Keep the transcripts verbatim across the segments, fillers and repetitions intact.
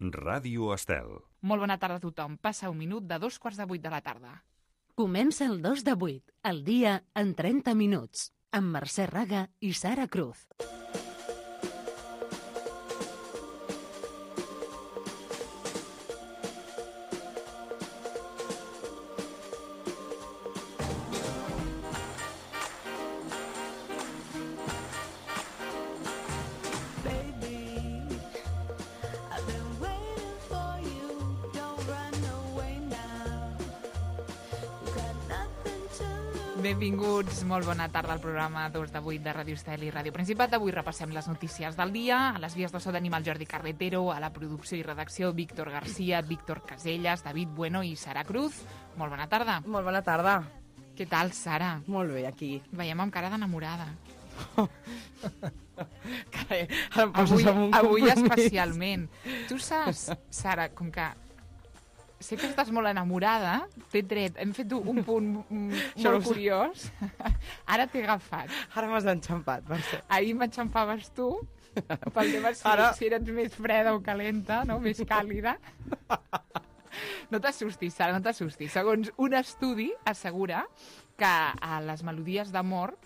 Ràdio Estel. Molt bona tarda a tothom. Passa un minut de dos quarts de vuit de la tarda. Comença el dos de vuit, el dia en trenta minuts, amb Mercè Raga i Sara Cruz. Benvinguts, molt bona tarda al programa dos de vuit de Ràdio Estel i Ràdio Principat. Avui repassem les notícies del dia. A les vies de so tenim el Jordi Carretero, a la producció i redacció Víctor García, Víctor Casellas, David Bueno i Sara Cruz. Molt bona tarda. Molt bona tarda. Què tal, Sara? Molt bé, aquí. Veiem amb cara d'enamorada. Carai, ara em poses Avui, amb un avui compromís. especialment. Tu saps, Sara, com que sé que estàs molt enamorada, t'he tret, hem fet un punt mm, Això molt ho sé. curiós. Ara t'he agafat. Ara m'has enxampat, per ser. Ahir m'enxampaves tu, pel tema si, Ara- si eres més freda o calenta, no? Més càlida. No t'assustis, Sara, no t'assustis. Segons un estudi assegura que a les melodies d'amor,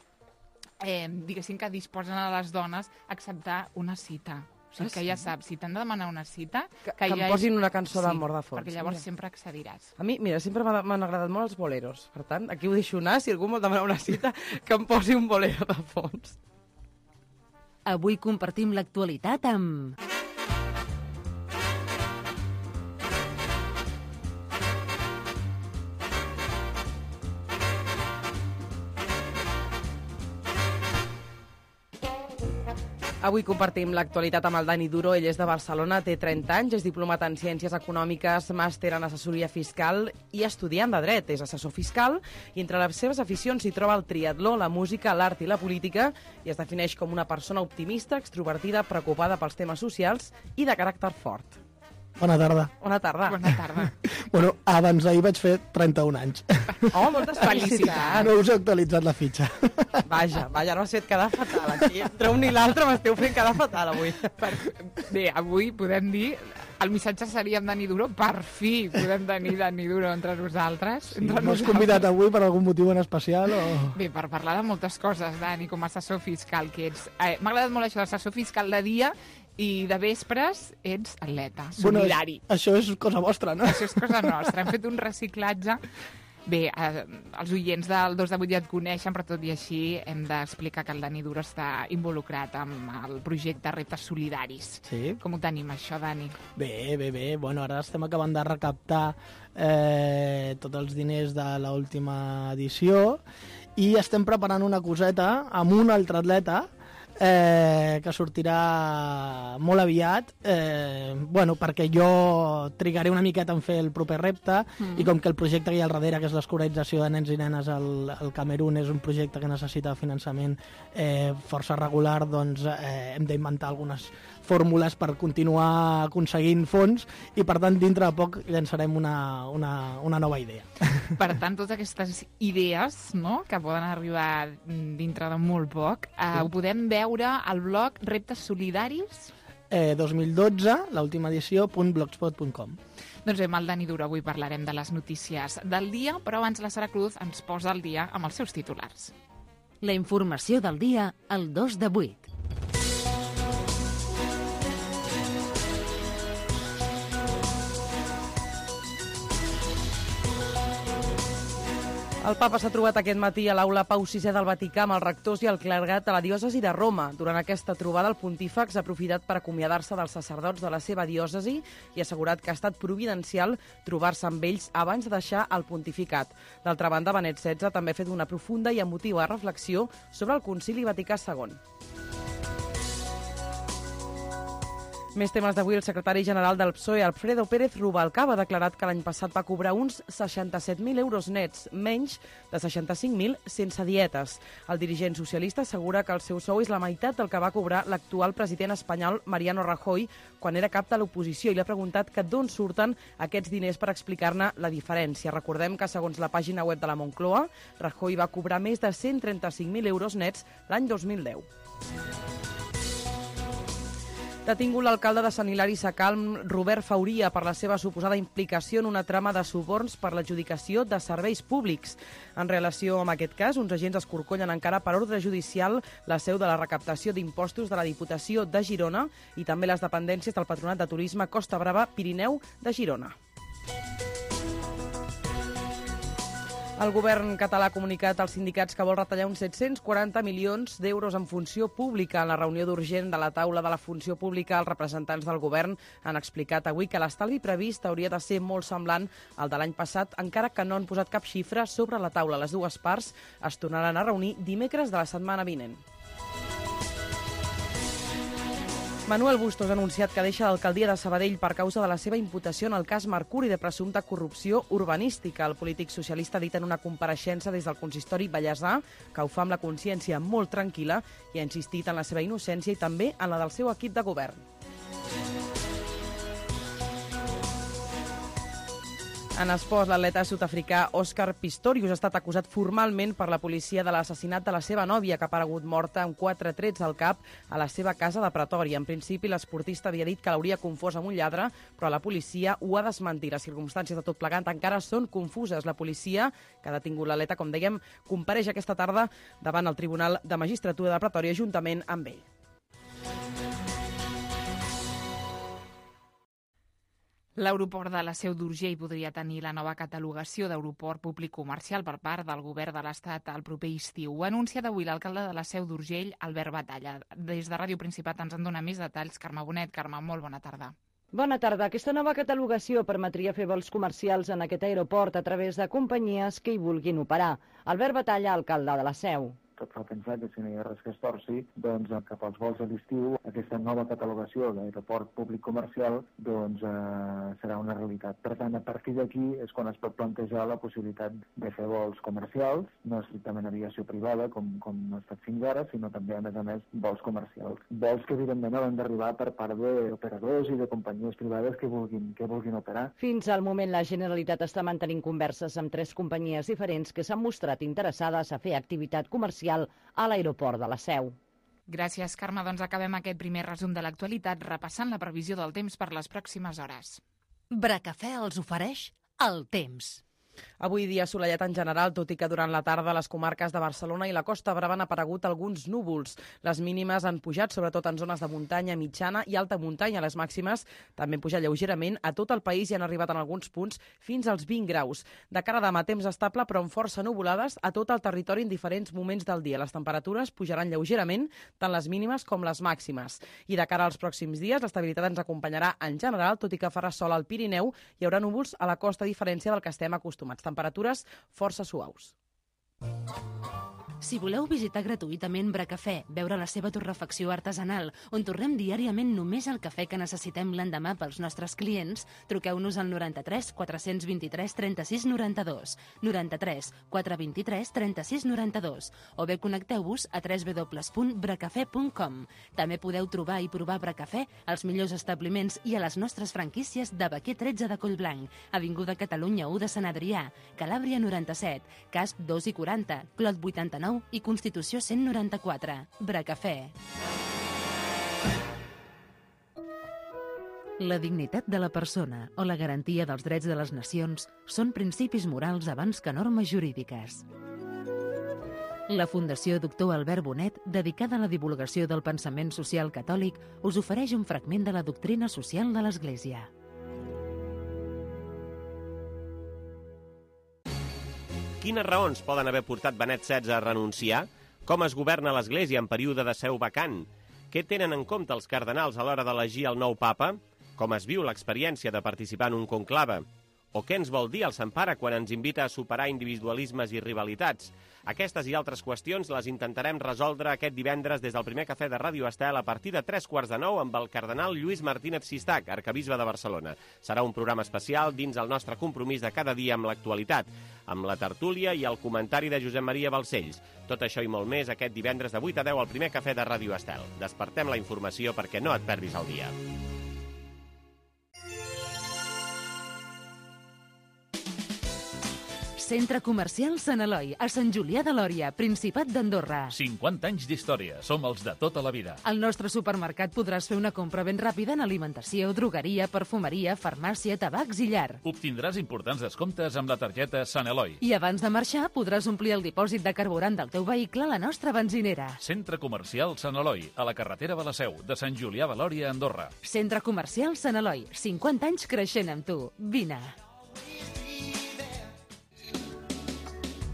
eh, diguéssim que disposen a les dones a acceptar una cita. O sigui, Ah, que sí? ja saps, si t'han de demanar una cita... Que- que em ja posin és- una cançó d'amor de fons. Perquè llavors Mira. sempre accediràs. A mi, mira, sempre m'ha- m'han agradat molt els boleros. Per tant, aquí ho deixo anar. Si algú vol demanar una cita, que em posi un bolero de fons. Avui compartim l'actualitat amb... Avui compartim l'actualitat amb el Dani Duro. Ell és de Barcelona, té trenta anys, és diplomat en Ciències Econòmiques, màster en assessoria fiscal i estudiant de dret. És assessor fiscal i entre les seves aficions s'hi troba el triatló, la música, l'art i la política i es defineix com una persona optimista, extrovertida, preocupada pels temes socials i de caràcter fort. Bona tarda. Bona tarda. Bona tarda. Bueno, abans d'ahir vaig fer trenta-un anys. Oh, moltes felicitats. No us he actualitzat la fitxa. Vaja, vaja, no m'has fet quedar fatal. Aquí, entre un i l'altre m'esteu fent quedar fatal avui. Per... Bé, avui podem dir... El missatge seria amb Dani Duro. Per fi podem tenir Dani Duro entre nosaltres. Sí, entre M'has nosaltres. convidat avui per algun motiu en especial o...? Bé, per parlar de moltes coses, Dani, com a assessor fiscal que ets. Eh, M'ha agradat molt això d'assessor fiscal de dia i de vespres ets atleta, solidari. Bueno, això és cosa vostra, no? Això és cosa nostra. Hem fet un reciclatge. Bé, eh, els oients del dos de vuit ja et coneixen, però tot i així hem d'explicar que el Dani Duro està involucrat amb el projecte Reptes Solidaris. Sí. Com ho tenim, això, Dani? Bé, bé, bé. Bueno, ara estem acabant de recaptar eh, tots els diners de l'última edició i estem preparant una coseta amb un altre atleta eh, que sortirà molt aviat, eh, bueno, perquè jo trigaré una miqueta en fer el proper repte mm. i com que el projecte que hi ha al darrere, que és l'escolarització de nens i nenes al, al Camerún, és un projecte que necessita finançament eh, força regular, doncs eh, hem d'inventar algunes fórmules per continuar aconseguint fons i per tant dintre de poc llançarem una, una, una nova idea. Per tant, totes aquestes idees, no?, que poden arribar dintre de molt poc, eh, ho podem veure al blog Reptes Solidaris. Eh, dos mil dotze, l'última edició, punt blogspot punt com. Doncs bé, amb el Dani Duro avui parlarem de les notícies del dia, però abans la Sara Cruz ens posa al dia amb els seus titulars. La informació del dia al dos de vuit. El papa s'ha trobat aquest matí a l'aula Pau sisè del Vaticà amb els rectors i el clergat de la diòcesi de Roma. Durant aquesta trobada, el pontífex ha aprofitat per acomiadar-se dels sacerdots de la seva diòcesi i ha assegurat que ha estat providencial trobar-se amb ells abans de deixar el pontificat. D'altra banda, Benet setze també ha fet una profunda i emotiva reflexió sobre el Concili Vaticà segon. Més temes d'avui, el secretari general del P S O E, Alfredo Pérez Rubalcaba, ha declarat que l'any passat va cobrar uns seixanta-set mil euros nets, menys de seixanta-cinc mil sense dietes. El dirigent socialista assegura que el seu sou és la meitat del que va cobrar l'actual president espanyol Mariano Rajoy quan era cap de l'oposició i li ha preguntat que d'on surten aquests diners per explicar-ne la diferència. Recordem que, segons la pàgina web de la Moncloa, Rajoy va cobrar més de cent trenta-cinc mil euros nets l'any dos mil deu. Detingut l'alcalde de Sant Hilari Sacalm, Robert Fauria, per la seva suposada implicació en una trama de suborns per l'adjudicació de serveis públics. En relació amb aquest cas, uns agents escorcollen encara per ordre judicial la seu de la recaptació d'impostos de la Diputació de Girona i també les dependències del Patronat de Turisme Costa Brava Pirineu de Girona. El govern català ha comunicat als sindicats que vol retallar uns set-cents quaranta milions d'euros en funció pública. En la reunió d'urgent de la taula de la funció pública, els representants del govern han explicat avui que l'estalvi previst hauria de ser molt semblant al de l'any passat, encara que no han posat cap xifra sobre la taula. Les dues parts es tornaran a reunir dimecres de la setmana vinent. Manuel Bustos ha anunciat que deixa l'alcaldia de Sabadell per causa de la seva imputació en el cas Mercuri de presumpta corrupció urbanística. El polític socialista ha dit en una compareixença des del consistori Vallèsà que ho fa amb la consciència molt tranquil·la i ha insistit en la seva innocència i també en la del seu equip de govern. En esports, l'atleta sud-africà Òscar Pistorius ha estat acusat formalment per la policia de l'assassinat de la seva nòvia, que ha aparegut morta amb quatre trets al cap a la seva casa de Pretòria. En principi, l'esportista havia dit que l'hauria confós amb un lladre, però la policia ho ha desmentit. Les circumstàncies de tot plegat encara són confuses. La policia, que ha detingut l'atleta, com dèiem, compareix aquesta tarda davant el Tribunal de Magistratura de Pretòria juntament amb ell. L'aeroport de la Seu d'Urgell podria tenir la nova catalogació d'aeroport públic comercial per part del govern de l'Estat al proper estiu. Ho ha anunciat avui l'alcalde de la Seu d'Urgell, Albert Batalla. Des de Ràdio Principat ens en dona més detalls Carme Bonet. Carme, molt bona tarda. Bona tarda. Aquesta nova catalogació permetria fer vols comercials en aquest aeroport a través de companyies que hi vulguin operar. Albert Batalla, alcalde de la Seu. Tot fa pensar que si no hi ha res que es torci, doncs cap als vols a l'estiu, aquesta nova catalogació d'aeroport públic comercial doncs, eh, serà una realitat. Per tant, a partir d'aquí és quan es pot plantejar la possibilitat de fer vols comercials, no estrictament aviació privada, com, com no ha estat fins ara, sinó també, a més a més, vols comercials. Vols que, evidentment, han d'arribar per part d'operadors i de companyies privades que vulguin, que vulguin operar. Fins al moment, la Generalitat està mantenint converses amb tres companyies diferents que s'han mostrat interessades a fer activitat comercial a l'aeroport de la Seu. Gràcies, Carme. Doncs acabem aquest primer resum de l'actualitat repassant la previsió del temps per les pròximes hores. Bracafè els ofereix el temps. Avui dia assolellat en general, tot i que durant la tarda a les comarques de Barcelona i la Costa Brava han aparegut alguns núvols. Les mínimes han pujat, sobretot en zones de muntanya, mitjana i alta muntanya. Les màximes també han pujat lleugerament a tot el país i han arribat en alguns punts fins als vint graus. De cara a demà, temps estable però amb força nuvolades a tot el territori en diferents moments del dia. Les temperatures pujaran lleugerament, tant les mínimes com les màximes. I de cara als pròxims dies, l'estabilitat ens acompanyarà en general, tot i que farà sol al Pirineu, hi haurà núvols a la costa, a diferència del que estem acostumats. Temperatures força suaus. Si voleu visitar gratuïtament Bracafè, veure la seva torrefacció artesanal, on tornem diàriament només el cafè que necessitem l'endemà pels nostres clients, truqueu-nos al noranta-tres quatre vint-i-tres trenta-sis noranta-dos, noranta-tres quatre vint-i-tres trenta-sis noranta-dos, o bé connecteu-vos a w w w punt bracafè punt com. També podeu trobar i provar Bracafè als millors establiments i a les nostres franquícies de Baquer tretze de Collblanc, Avinguda Catalunya u de Sant Adrià, Calàbria noranta-set, Casp dos i quaranta, Clot vuitanta-nou i Constitució cent noranta-quatre. Bracafè. La dignitat de la persona o la garantia dels drets de les nacions són principis morals abans que normes jurídiques. La Fundació Doctor Albert Bonet, dedicada a la divulgació del pensament social catòlic, us ofereix un fragment de la doctrina social de l'Església. Quines raons poden haver portat Benet setze a renunciar? Com es governa l'Església en període de seu vacant? Què tenen en compte els cardenals a l'hora d'elegir el nou papa? Com es viu l'experiència de participar en un conclave? O què ens vol dir el Sant Pare quan ens invita a superar individualismes i rivalitats? Aquestes i altres qüestions les intentarem resoldre aquest divendres des del primer cafè de Ràdio Estel a partir de tres quarts de nou amb el cardenal Lluís Martínez Sistac, arcabisbe de Barcelona. Serà un programa especial dins el nostre compromís de cada dia amb l'actualitat, amb la tertúlia i el comentari de Josep Maria Balcells. Tot això i molt més aquest divendres de vuit a deu al primer cafè de Ràdio Estel. Despertem la informació perquè no et perdis el dia. Centre Comercial Sant Eloi, a Sant Julià de Lòria, Principat d'Andorra. cinquanta anys d'història. Som els de tota la vida. Al nostre supermercat podràs fer una compra ben ràpida en alimentació, drogueria, perfumeria, farmàcia, tabacs i llar. Obtindràs importants descomptes amb la targeta Sant Eloi. I abans de marxar podràs omplir el dipòsit de carburant del teu vehicle a la nostra benzinera. Centre Comercial Sant Eloi, a la carretera de la Seu, de Sant Julià de Lòria, Andorra. Centre Comercial Sant Eloi, cinquanta anys creixent amb tu. Vine.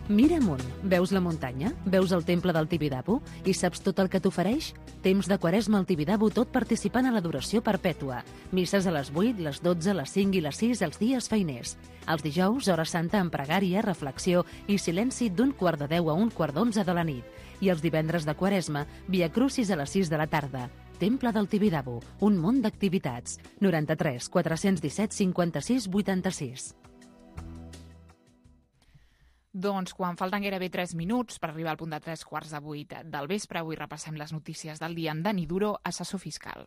Mira amunt. Veus la muntanya? Veus el temple del Tibidabo? I saps tot el que t'ofereix? Temps de Quaresma al Tibidabo, tot participant a l'adoració perpètua. Misses a les vuit, les dotze, les cinc i les sis els dies feiners. Els dijous, hora santa amb pregària, reflexió i silenci d'un quart de deu a un quart d'onze de la nit. I els divendres de Quaresma, via crucis a les sis de la tarda. Temple del Tibidabo, un munt d'activitats. noranta-tres quatre-cents disset cinquanta-sis vuitanta-sis. Doncs quan falten gairebé tres minuts per arribar al punt de tres quarts de vuit del vespre, avui repassem les notícies del dia amb Dani Duro, assessor fiscal.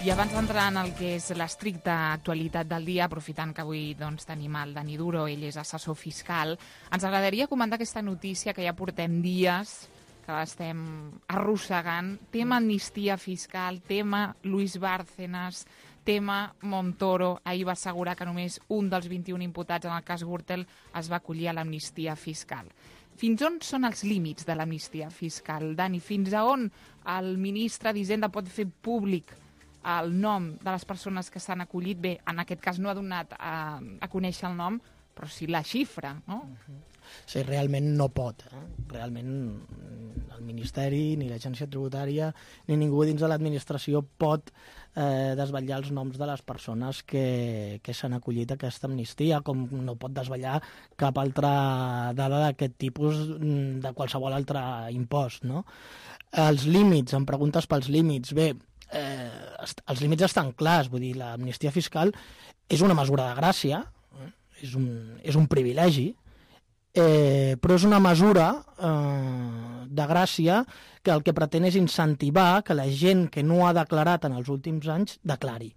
I abans d'entrar en el que és l'estricta actualitat del dia, aprofitant que avui doncs, tenim el Dani Duro, ell és assessor fiscal, ens agradaria comentar aquesta notícia que ja portem dies que l'estem arrossegant. Tema amnistia fiscal, tema Luis Bárcenas, tema Montoro. Ahir va assegurar que només un dels vint-i-un imputats en el cas Gürtel es va acollir a l'amnistia fiscal. Fins on són els límits de l'amnistia fiscal, Dani? Fins a on el ministre d'Hisenda pot fer públic el nom de les persones que s'han acollit? Bé, en aquest cas no ha donat a, a conèixer el nom, però sí la xifra, no? Uh-huh. Sí, realment no pot. Eh? Realment el Ministeri, ni l'Agència Tributària, ni ningú dins de l'administració pot eh, desvetllar els noms de les persones que, que s'han acollit a aquesta amnistia, com no pot desvetllar cap altra dada d'aquest tipus de qualsevol altre impost. No? Els límits, em preguntes pels límits. Bé, eh, els límits estan clars, vull dir, l'amnistia fiscal és una mesura de gràcia, eh? és, un, és un privilegi, Eh, però és una mesura eh, de gràcia que el que pretén és incentivar que la gent que no ha declarat en els últims anys declari.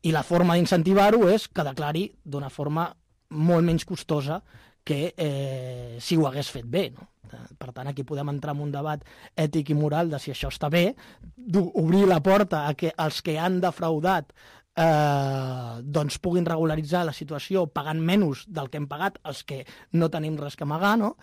I la forma d'incentivar-ho és que declari d'una forma molt menys costosa que eh, si ho hagués fet bé. No? Per tant, aquí podem entrar en un debat ètic i moral de si això està bé, obrir la porta a que els que han defraudat Eh, doncs puguin regularitzar la situació pagant menys del que hem pagat els que no tenim res que amagar, no?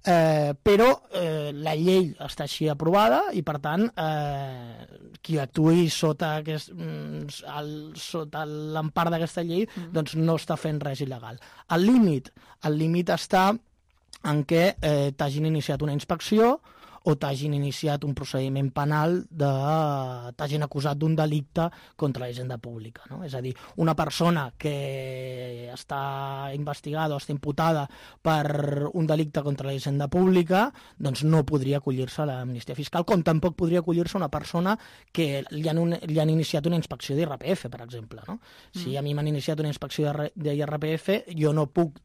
Eh, però eh, la llei està així aprovada i, per tant, eh, qui actuï sota, aquest, el, sota l'empar d'aquesta llei doncs no està fent res il·legal. El límit, el límit està en què eh, t'hagin iniciat una inspecció o t'hagin iniciat un procediment penal, de, t'hagin acusat d'un delicte contra la hisenda pública. No? És a dir, una persona que està investigada o està imputada per un delicte contra la hisenda pública doncs no podria acollir-se a l'amnistia fiscal, com tampoc podria acollir-se una persona que li han, un, li han iniciat una inspecció d'I R P F, per exemple. No? Si a mi m'han iniciat una inspecció d'I R P F, jo no puc,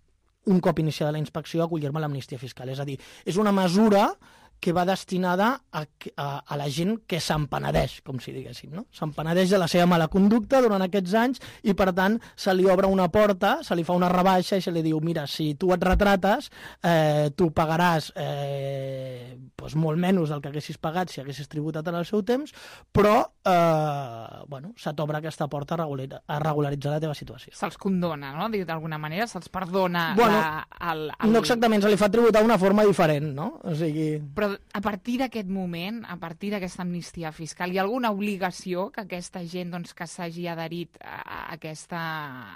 un cop iniciada la inspecció, acollir-me a l'amnistia fiscal. És a dir, és una mesura que va destinada a, a, a la gent que se'n penedeix, com si diguéssim, no? Se'n penedeix de la seva mala conducta durant aquests anys i, per tant, se li obre una porta, se li fa una rebaixa i se li diu, mira, si tu et retrates, eh, tu pagaràs eh, doncs molt menys del que haguessis pagat si haguessis tributat en el seu temps, però eh, bueno, se t'obre aquesta porta a, regular, a regularitzar la teva situació. Se'ls condona, no? D'alguna manera, se'ls perdona bueno, la, el, el... No exactament, se li fa tributar d'una forma diferent, no? O sigui... Però a partir d'aquest moment, a partir d'aquesta amnistia fiscal, hi ha alguna obligació que aquesta gent doncs, que s'hagi adherit a aquesta,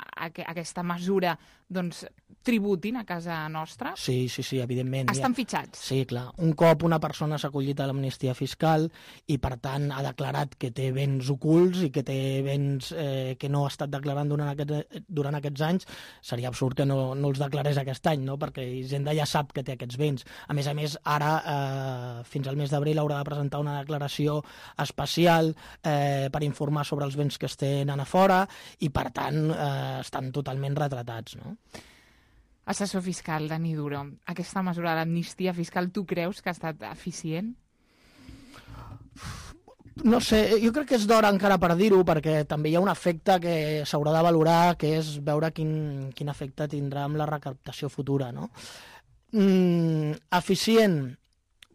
a aquesta mesura doncs, tributin a casa nostra? Sí, sí, sí, evidentment. Estan ja. fitxats? Sí, clar. Un cop una persona s'ha acollit a l'amnistia fiscal i, per tant, ha declarat que té béns ocults i que té béns eh, que no ha estat declarant durant, aquest, durant aquests anys, seria absurd que no, no els declarés aquest any, no? Perquè Hisenda ja sap que té aquests béns. A més a més, ara, eh, fins al mes d'abril, haurà de presentar una declaració especial eh, per informar sobre els béns que es tenen a fora i, per tant, eh, estan totalment retratats, no? Assessor fiscal, Dani Duro, aquesta mesura de l'amnistia fiscal, tu creus que ha estat eficient? No sé, jo crec que és d'hora encara per dir-ho, perquè també hi ha un efecte que s'haurà de valorar, que és veure quin, quin efecte tindrà amb la recaptació futura, no? Mm, eficient,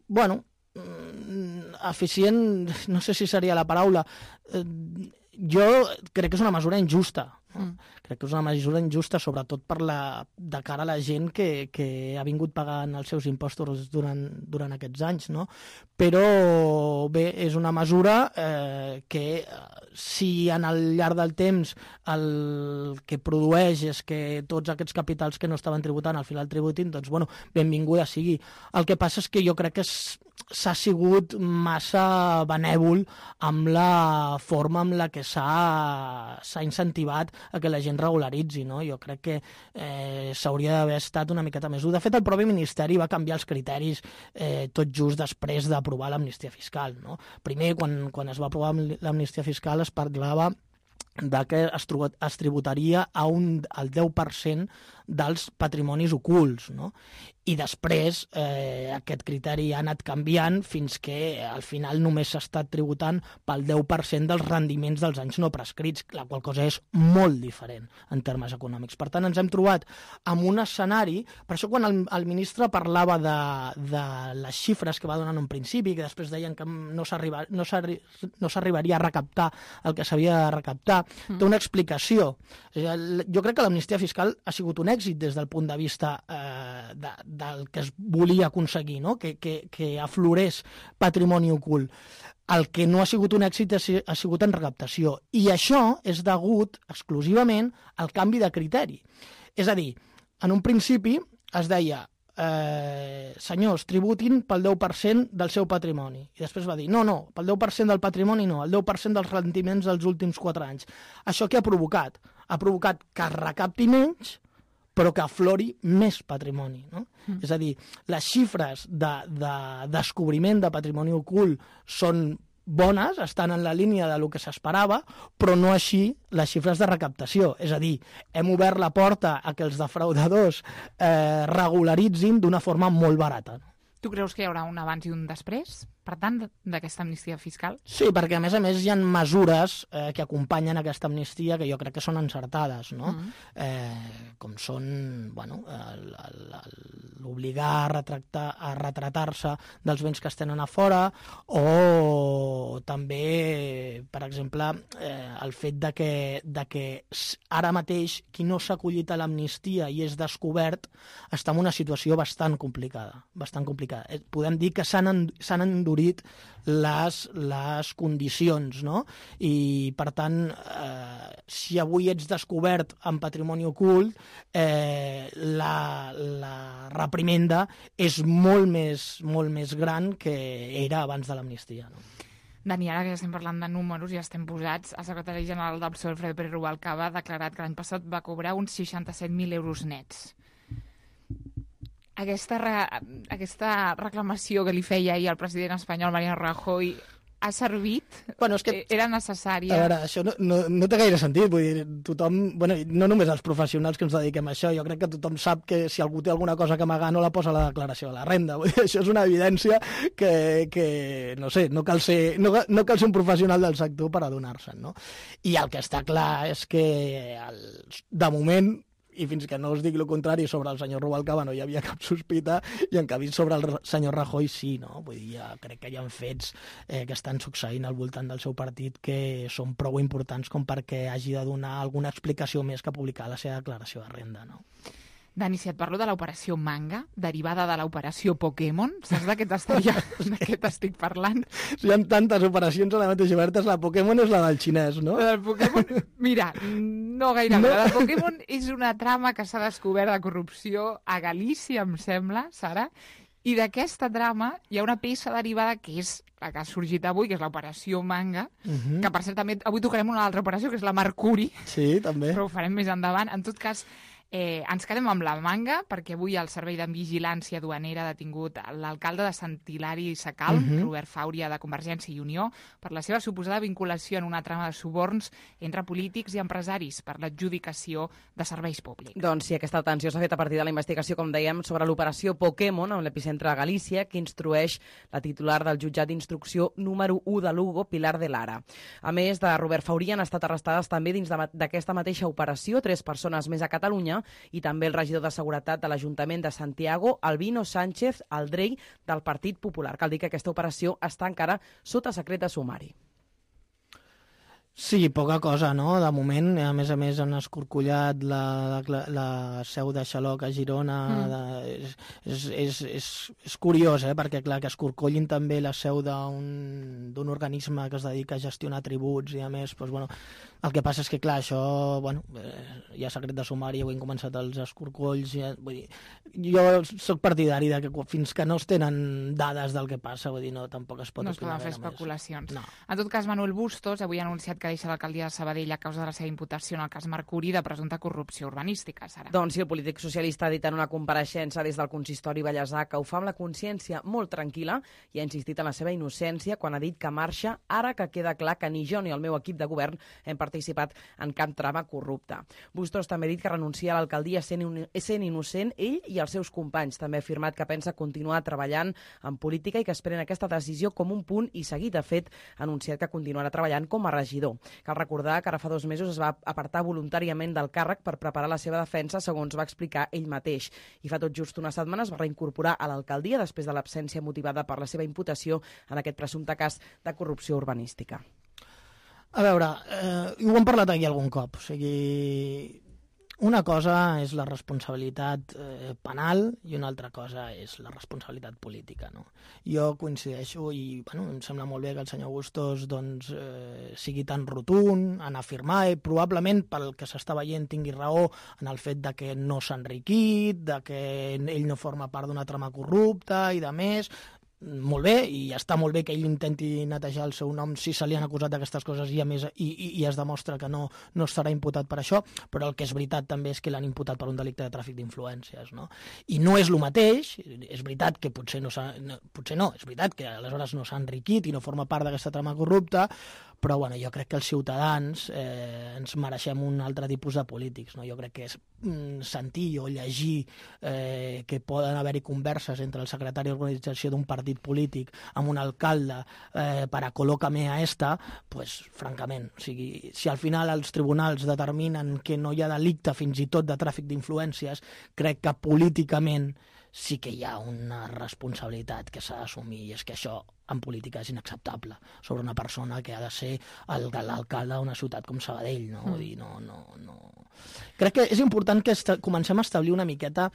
bueno, mm, eficient, no sé si seria la paraula, eh, jo crec que és una mesura injusta, no? Mm. Crec que és una mesura injusta, sobretot per la, de cara a la gent que, que ha vingut pagant els seus impostos durant, durant aquests anys, no? Però bé, és una mesura eh, que si en el llarg del temps el que produeix és que tots aquests capitals que no estaven tributant al final tributin, doncs bueno, benvinguda sigui. El que passa és que jo crec que s'ha sigut massa benèvol amb la forma amb la que s'ha incentivat a que la gent regularitzi, no? Jo crec que eh, s'hauria d'haver estat una miqueta més dur. De fet, el propi Ministeri va canviar els criteris eh, tot just després d'aprovar l'amnistia fiscal, no? Primer, quan, quan es va aprovar l'amnistia fiscal, es parlava de que es, es tributaria a un, al deu per cent dels patrimonis ocults, no? I després eh, aquest criteri ha anat canviant fins que al final només s'ha estat tributant pel deu per cent dels rendiments dels anys no prescrits, la qual cosa és molt diferent en termes econòmics. Per tant, ens hem trobat amb un escenari, per això quan el, el ministre parlava de, de les xifres que va donar en un principi, que després deien que no s'arribaria no no s'arribaria a recaptar el que s'havia de recaptar, mm. té una explicació. O sigui, jo crec que l'amnistia fiscal ha sigut un èxit des del punt de vista eh, de, del que es volia aconseguir, no? que, que, que aflorés patrimoni ocult. El que no ha sigut un èxit ha sigut en recaptació. I això és degut exclusivament al canvi de criteri. És a dir, en un principi es deia eh, senyors, tributin pel deu per cent del seu patrimoni. I després va dir, no, no, pel deu per cent del patrimoni no, el deu per cent dels rendiments dels últims quatre anys. Això què ha provocat? Ha provocat que es recapti menys, però que aflori més patrimoni, no? Mm. És a dir, les xifres de, de descobriment de patrimoni ocult són bones, estan en la línia del que s'esperava, però no així les xifres de recaptació. És a dir, hem obert la porta a que els defraudadors eh, regularitzin d'una forma molt barata. Tu creus que hi haurà un abans i un després, per tant, d'aquesta amnistia fiscal? Sí, perquè a més a més hi ha mesures eh, que acompanyen aquesta amnistia que jo crec que són encertades, no? Mm. Eh, com són, bueno, l'obligar a, retractar, a retratar-se dels béns que es tenen a fora, o també, per exemple, eh, el fet de que, de que ara mateix qui no s'ha acollit a l'amnistia i és descobert està en una situació bastant complicada, bastant complicada. Podem dir que s'han endurit les, les condicions, no? I, per tant, eh, si avui ets descobert en patrimoni ocult, eh, la, la reprimenda és molt més, molt més gran que era abans de l'amnistia, no? Dani, ara que ja estem parlant de números i ja estem posats, el secretari general del P S O E, Alfredo Pérez Rubalcaba, ha declarat que l'any passat va cobrar uns seixanta-set mil euros nets. Aquesta, re, aquesta reclamació que li feia ahir el president espanyol, Mariano Rajoy, ha servit? Bueno, és que, era necessària? A veure, això no, no, no té gaire sentit. Vull dir, tothom, bueno, no només els professionals que ens dediquem a això, jo crec que tothom sap que si algú té alguna cosa que amagar no la posa a la declaració de la renda. Vull dir, això és una evidència que, que no sé, no cal ser, no, no cal ser un professional del sector per adonar-se'n, no? I el que està clar és que, el, de moment, i fins que no us dic el contrari sobre el senyor Rubalcaba no hi havia cap sospita, i en canvi sobre el senyor Rajoy sí, no? Vull dir, ja crec que hi ha fets eh, que estan succeint al voltant del seu partit que són prou importants com perquè hagi de donar alguna explicació més que publicar la seva declaració de renda, no? Dani, si et parlo de l'operació Manga, derivada de l'operació Pokémon, saps de què t'estic parlant? Hi ha tantes operacions a la mateixa oberta, la Pokémon és la del xinès, no? La del Pokémon, mira, no gaire, no. La del Pokémon és una trama que s'ha descobert de corrupció a Galícia, em sembla, Sara, i d'aquesta trama hi ha una peça derivada que és la que ha sorgit avui, que és l'operació Manga, uh-huh. que per cert també avui tocarem una altra operació, que és la Mercuri. Sí, també. Però ho farem més endavant. En tot cas, Eh, ens quedem amb la manga, perquè avui el Servei de Vigilància Duanera ha detingut l'alcalde de Sant Hilari Sacalm, uh-huh. Robert Fàuria, de Convergència i Unió, per la seva suposada vinculació en una trama de suborns entre polítics i empresaris per l'adjudicació de serveis públics. Doncs sí, aquesta detenció s'ha fet a partir de la investigació, com dèiem, sobre l'operació Pokémon, amb l'epicentre de Galícia, que instrueix la titular del jutjat d'instrucció número u de Lugo, Pilar de Lara. A més de Robert Fàuria, han estat arrestades també dins d'aquesta mateixa operació tres persones més a Catalunya i també el regidor de Seguretat de l'Ajuntament de Santiago, Albino Sánchez Aldrey, del Partit Popular. Cal dir que aquesta operació està encara sota secret de sumari. Sí, poca cosa, no? De moment, a més a més, han escorcollat la, la, la seu de Xaloc a Girona. Mm. De, és, és, és, és curiós, eh? Perquè, clar, que escorcollin també la seu d'un d'un organisme que es dedica a gestionar tributs i, a més, doncs, bueno, el que passa és que, clar, això, bueno, eh, hi ha secret de sumari, ho han començat els escorcolls, ja, vull dir, jo sóc partidari de que fins que no es tenen dades del que passa, vull dir, no, tampoc es pot no es poden fer més. especulacions. No. En tot cas, Manuel Bustos avui ha anunciat que deixa l'alcaldia de Sabadell a causa de la seva imputació en el cas Mercuri de presumpta corrupció urbanística, Sara. Doncs sí, el polític socialista ha dit en una compareixença des del consistori Vallèsà que ho fa amb la consciència molt tranquil·la i ha insistit en la seva innocència quan ha dit que marxa ara que queda clar que ni jo ni el meu equip de govern hem participat en cap trama corrupta. Bustos també ha dit que renuncia a l'alcaldia sent, sent innocent ell i els seus companys. També ha afirmat que pensa continuar treballant en política i que esperen aquesta decisió com un punt i seguit. De fet, ha anunciat que continuarà treballant com a regidor. Cal recordar que ara fa dos mesos es va apartar voluntàriament del càrrec per preparar la seva defensa, segons va explicar ell mateix. I fa tot just una setmana es va reincorporar a l'alcaldia després de l'absència motivada per la seva imputació en aquest presumpte cas de corrupció urbanística. A veure, eh, ho hem parlat aquí algun cop, o sigui, una cosa és la responsabilitat eh, penal i una altra cosa és la responsabilitat política, no? Jo coincideixo i, bueno, em sembla molt bé que el senyor Bustos doncs, eh, sigui tan rotund en afirmar i probablement pel que s'està veient tingui raó en el fet de que no s'ha enriquit, de que ell no forma part d'una trama corrupta i de més. Molt bé, i està molt bé que ell intenti netejar el seu nom si se li han acusat d'aquestes coses i, a més, i, i, i es demostra que no, no estarà imputat per això, però el que és veritat també és que l'han imputat per un delicte de tràfic d'influències, no? I no és el mateix, és veritat que potser no, no, potser no, és veritat que aleshores no s'ha enriquit i no forma part d'aquesta trama corrupta, però bueno, jo crec que els ciutadans eh, ens mereixem un altre tipus de polítics, no? Jo crec que és mm, sentir o llegir eh, que poden haver-hi converses entre el secretari d'organització d'un partit polític amb un alcalde eh, per a col·locar-me a esta, pues, francament, o sigui, si al final els tribunals determinen que no hi ha delicte fins i tot de tràfic d'influències, crec que políticament sí que hi ha una responsabilitat que s'ha d'assumir i és que això en política és inacceptable sobre una persona que ha de ser l'alcalde d'una ciutat com Sabadell, no? Mm. Dir, no, no, no. Crec que és important que comencem a establir una miqueta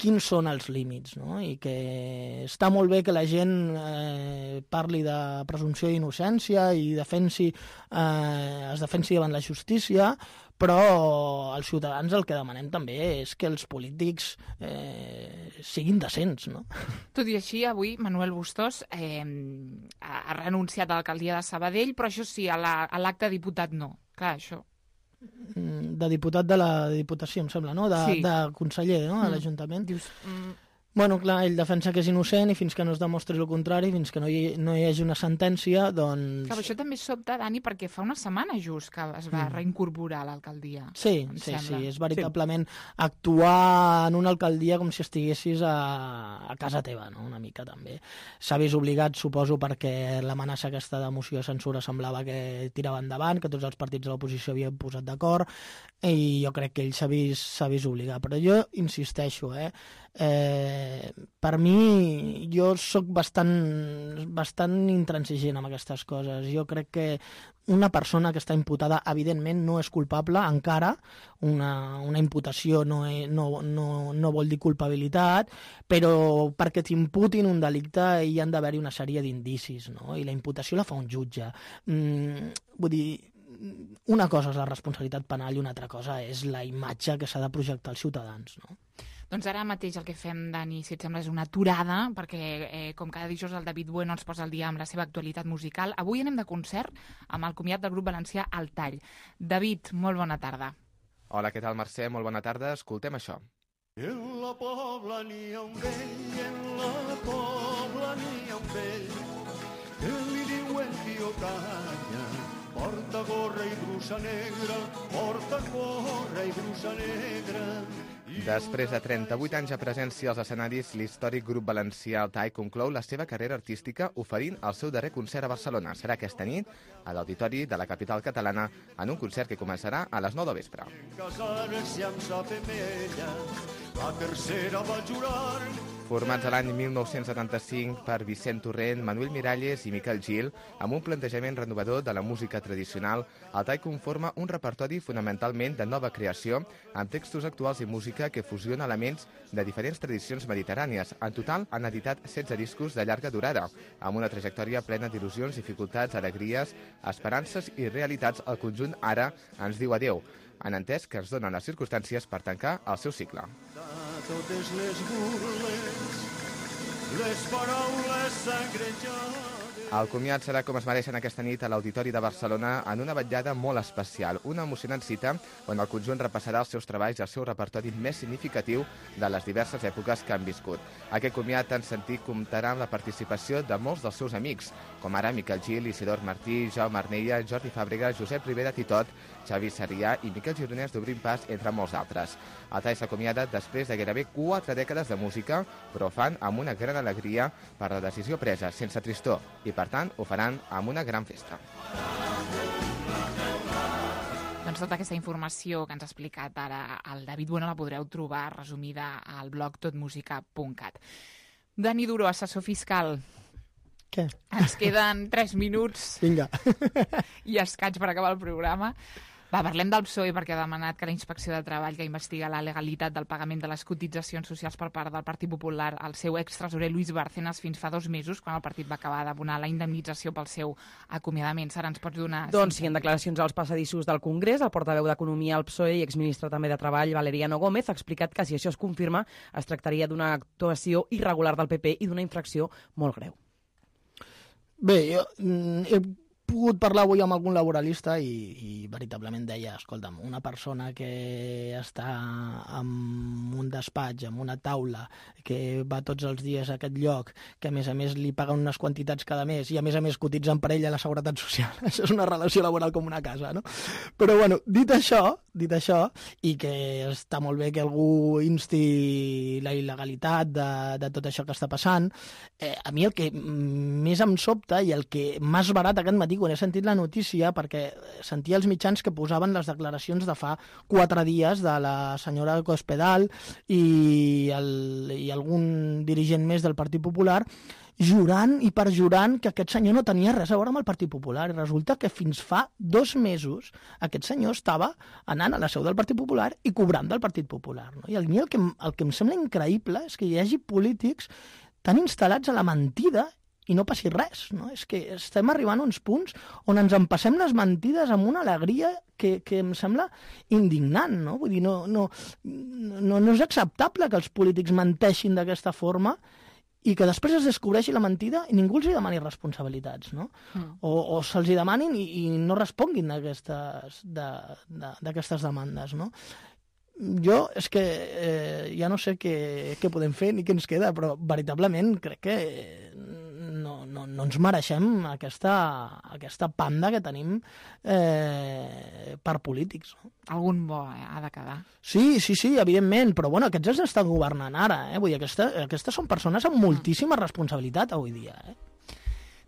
quins són els límits, no? I que està molt bé que la gent eh, parli de presumpció d'innocència i defensi, eh, es defensi davant la justícia, però als ciutadans el que demanem també és que els polítics eh, siguin decents, no? Tot i així, avui Manuel Bustos eh, ha renunciat a l'alcaldia de Sabadell, però això sí, a l'acte de diputat no. Clar, això... De diputat de la Diputació, em sembla, no? De, sí. de conseller, no? A l'Ajuntament. Dius... Mm. Bueno, clar, ell defensa que és innocent i fins que no es demostri el contrari, fins que no hi, no hi hagi una sentència, doncs... Clar, això també sobta, Dani, perquè fa una setmana just que es va mm. reincorporar a l'alcaldia. Sí, sí, sembla. sí, és veritablement sí. actuar en una alcaldia com si estiguessis a, a casa teva, no? Una mica també. S'ha vist obligat, suposo, perquè l'amenaça aquesta de moció de censura semblava que tirava endavant, que tots els partits de l'oposició havien posat d'acord, i jo crec que ell s'ha vist, s'ha vist obligat. Però jo insisteixo, eh? Eh, per mi jo sóc bastant, bastant intransigent amb aquestes coses. Jo crec que una persona que està imputada evidentment no és culpable encara, una, una imputació no, és, no, no, no vol dir culpabilitat, però perquè t'imputin un delicte hi han d'haver-hi una sèrie d'indicis, no? I la imputació la fa un jutge. Mm, vull dir, una cosa és la responsabilitat penal i una altra cosa és la imatge que s'ha de projectar als ciutadans, no? Doncs ara mateix el que fem, Dani, si et sembla, és una aturada, perquè eh, com cada dijous el David Bueno ens posa al dia amb la seva actualitat musical. Avui anem de concert amb el comiat del grup valencià El Tall. David, molt bona tarda. Hola, què tal, Mercè? Molt bona tarda. Escoltem això. En la Pobla n'hi ha un vell, en la Pobla n'hi ha un vell, que li diuen Tio Canya, porta gorra i brusa negra, porta gorra i brusa negra. Després de trenta-vuit anys de presència als escenaris, l'històric grup valencià Altai conclou la seva carrera artística oferint el seu darrer concert a Barcelona. Serà aquesta nit a l'Auditori de la capital catalana en un concert que començarà a les nou del vespre. Casar-se amb sa femella, la tercera va jurar. Formats a l'any mil nou-cents setanta-cinc per Vicent Torrent, Manuel Miralles i Miquel Gil, amb un plantejament renovador de la música tradicional, Altai conforma un repertori fonamentalment de nova creació, amb textos actuals i música que fusiona elements de diferents tradicions mediterrànies. En total han editat setze discos de llarga durada, amb una trajectòria plena d'il·lusions, dificultats, alegries, esperances i realitats. El conjunt ara ens diu adeu. Han entès que es donen les circumstàncies per tancar el seu cicle. Totes les burles, les paraules sangrejades. El comiat serà com es mereixen aquesta nit a l'Auditori de Barcelona en una vetllada molt especial, una emocionant cita on el conjunt repassarà els seus treballs i el seu repertori més significatiu de les diverses èpoques que han viscut. Aquest comiat tan sentit comptarà amb la participació de molts dels seus amics, com ara Miquel Gil, Isidor Martí, Jaume Arnella, Jordi Fàbrega, Josep Rivera Titot, Xavi Sarrià i Miquel Gironès d'Obrim Pas, entre molts altres. Altai s'acomiada després de gairebé quatre dècades de música, però ho fan amb una gran alegria per la decisió presa, sense tristor, i per tant ho faran amb una gran festa. Doncs tota aquesta informació que ens ha explicat ara el David Bueno la podreu trobar resumida al blog totmusica punt cat. Dani Duró, assessor fiscal. Què? Ens queden tres minuts. Vinga. I escaig per acabar el programa. Va, parlem del P S O E perquè ha demanat que la Inspecció de Treball, que investiga la legalitat del pagament de les cotitzacions socials per part del Partit Popular al seu extresorer Luis Bárcenas fins fa dos mesos, quan el partit va acabar d'abonar la indemnització pel seu acomiadament. Sara, ens pots donar... Doncs sí, en declaracions als passadissos del Congrés, el portaveu d'Economia al P S O E i exministre també de Treball, Valeriano Gómez, ha explicat que si això es confirma es tractaria d'una actuació irregular del P P i d'una infracció molt greu. Bé, jo he pogut parlar avui amb algun laboralista i, i veritablement deia, escolta'm, una persona que està en un despatx, en una taula, que va tots els dies a aquest lloc, que a més a més li paguen unes quantitats cada mes i a més a més cotitzen per ella a la Seguretat Social. Això és una relació laboral com una casa, no? Però bueno, dit això, dit això, i que està molt bé que algú insti la il·legalitat de, de tot això que està passant, eh, a mi el que més em sobta i el que m'ha esbarat aquest matí quan he sentit la notícia, perquè sentia els mitjans que posaven les declaracions de fa quatre dies de la senyora Cospedal i, el, i algun dirigent més del Partit Popular jurant i perjurant que aquest senyor no tenia res a veure amb el Partit Popular. I resulta que fins fa dos mesos aquest senyor estava anant a la seu del Partit Popular i cobrant del Partit Popular. No? I a mi el que, el que em sembla increïble és que hi hagi polítics tan instal·lats a la mentida i no passi res, no? És que estem arribant a uns punts on ens empassem les mentides amb una alegria que, que em sembla indignant, no? Vull dir, no, no, no, no és acceptable que els polítics menteixin d'aquesta forma i que després es descobreixi la mentida i ningú els hi demani responsabilitats, no? Mm. O, o se'ls hi demanin i, i no responguin d'aquestes de, de, d'aquestes demandes, no? Jo és que eh, ja no sé què, què podem fer ni què ens queda, però veritablement crec que no, no, no ens mereixem aquesta, aquesta panda que tenim eh, per polítics. No? Algun bo eh, ha de quedar. Sí, sí, sí, evidentment, però bueno, aquests els estan governant ara. Eh? Vull dir, aquesta, aquestes són persones amb moltíssima responsabilitat avui dia. Eh?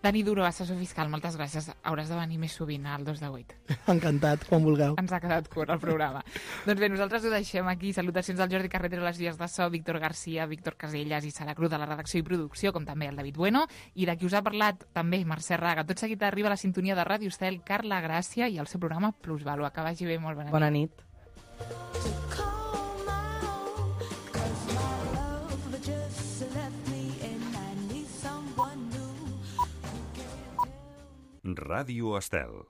Dani Duró, assessor fiscal, moltes gràcies. Hauràs de venir més sovint al dos de vuit. Encantat, quan vulgueu. Ens ha quedat curt el programa. Doncs bé, nosaltres ho deixem aquí. Salutacions al Jordi Carretero a les vies de so, Víctor Garcia, Víctor Casellas i Sara Cruz de la redacció i producció, com també el David Bueno. I de qui us ha parlat també Mercè Raga. Tot seguit arriba la sintonia de Ràdio Estel, Carla Gràcia i el seu programa Plusvalua. Que vagi bé, molt bona nit. Bona nit. Ràdio Estel.